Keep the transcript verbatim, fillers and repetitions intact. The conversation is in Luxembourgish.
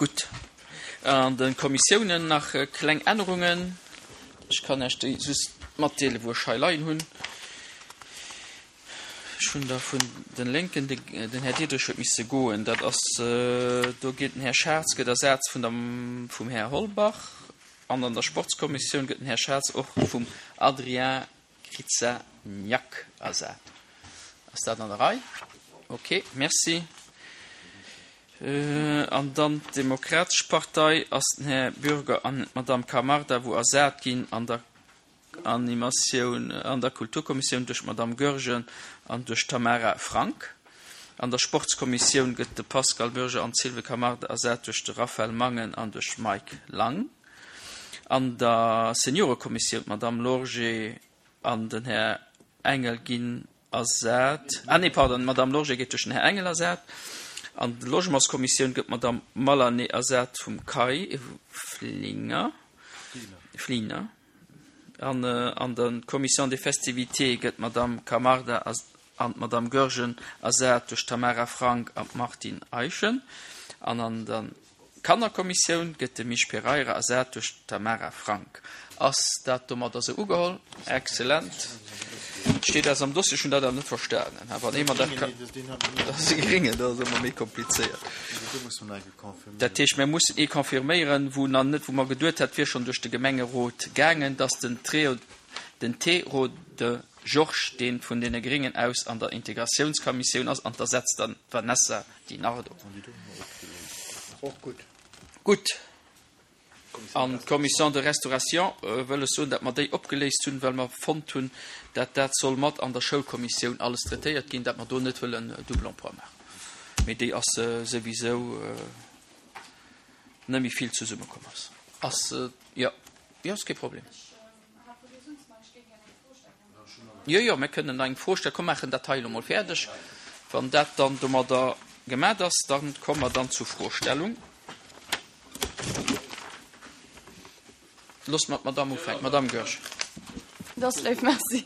Gutt. An de Kommissiounen nach kleng Ännerungen. Ech kann Iech déi just matdeelen, wou ech hei leien hunn. Ech hunn der vun den Lénken, den Här Diderich huet misse goen, dat ass, do geet den Här Schartz gëtt ersat vun der, vum Här Holbach an an der Sportskommissioun gëtt den Här Schartz och vum Adrien Krzyzaniak ersat. Ass dat an der Rei? Ok, merci. An dann d'Demokratesch Partei ass den Här Bürger an d'Madame Camarda wou ersat ginn an der Animatioun an der Kulturkommissioun duerch d'Madame Goergen an duerch d'Tamara Frank. An der Sportskommissioun gëtt de Pascal Bürger an d'Sylvie Camarda ersat duerch de Raphaël Mangen an duerch Mike Lang. An der Seniorekommissioun d'Madame Lorgé an den Här Engel ginn ersat, ah nee, pardon, d'Madame Lorgé gétt duerch den Här Engel ersat. An der Logementskommissioun gëtt d'Madame Malané ersat vum Kai Flinger. Fliner. An an der Commission des festivités gëtt d'Madame Camarda an d'Madame Goergen ersat duerch d'Tamara Frank an d'Martine Eischen. An an der Kannerkommissioun gëtt de Misch Pereira ersat duerch d'Tamara Frank. Ass dat domadder esou ugeholl? Excellent. Steet eis am Dossier, ech hunn dat awer net verstanen. Wann ee mer dat ka. Dat ass e Gréngen, dat ass ëmmer méi komplizéiert. Dat heescht, mir mussen ee confirméieren, wou nach net, wou mer geduet hat, wier schonn duerch de Gemengerot gaangen, dass den Treo, den Terode Georges, dee vun deene Gréngen aus an der Integratiounskommissioun ass, an d'ersetzt dann d'Vanessa Di Nardo. Gutt. An d'Commission de restauration wëll ech soen, datt mer déi opgeléist hunn, well mer fonnt hunn, datt dat soll mat an der Schoulkommissioun alles traitéiert ginn, datt mer do net wëllen double emploi maachen. Mee déi ass souwisou net méi vill zesummekomm ass. Ass, jo, jo, ass kee Problem. Jo, jo, mir kënnen nach eng Fro stellen. Komm, maachen dat hei elo mol fäerdeg. Wann dat dann domadder gemat ass, da komme mer dann zur Froestellung. Loosse mer d'Madamm ufänken. Madamm Goergen. Dat ass léif, merci.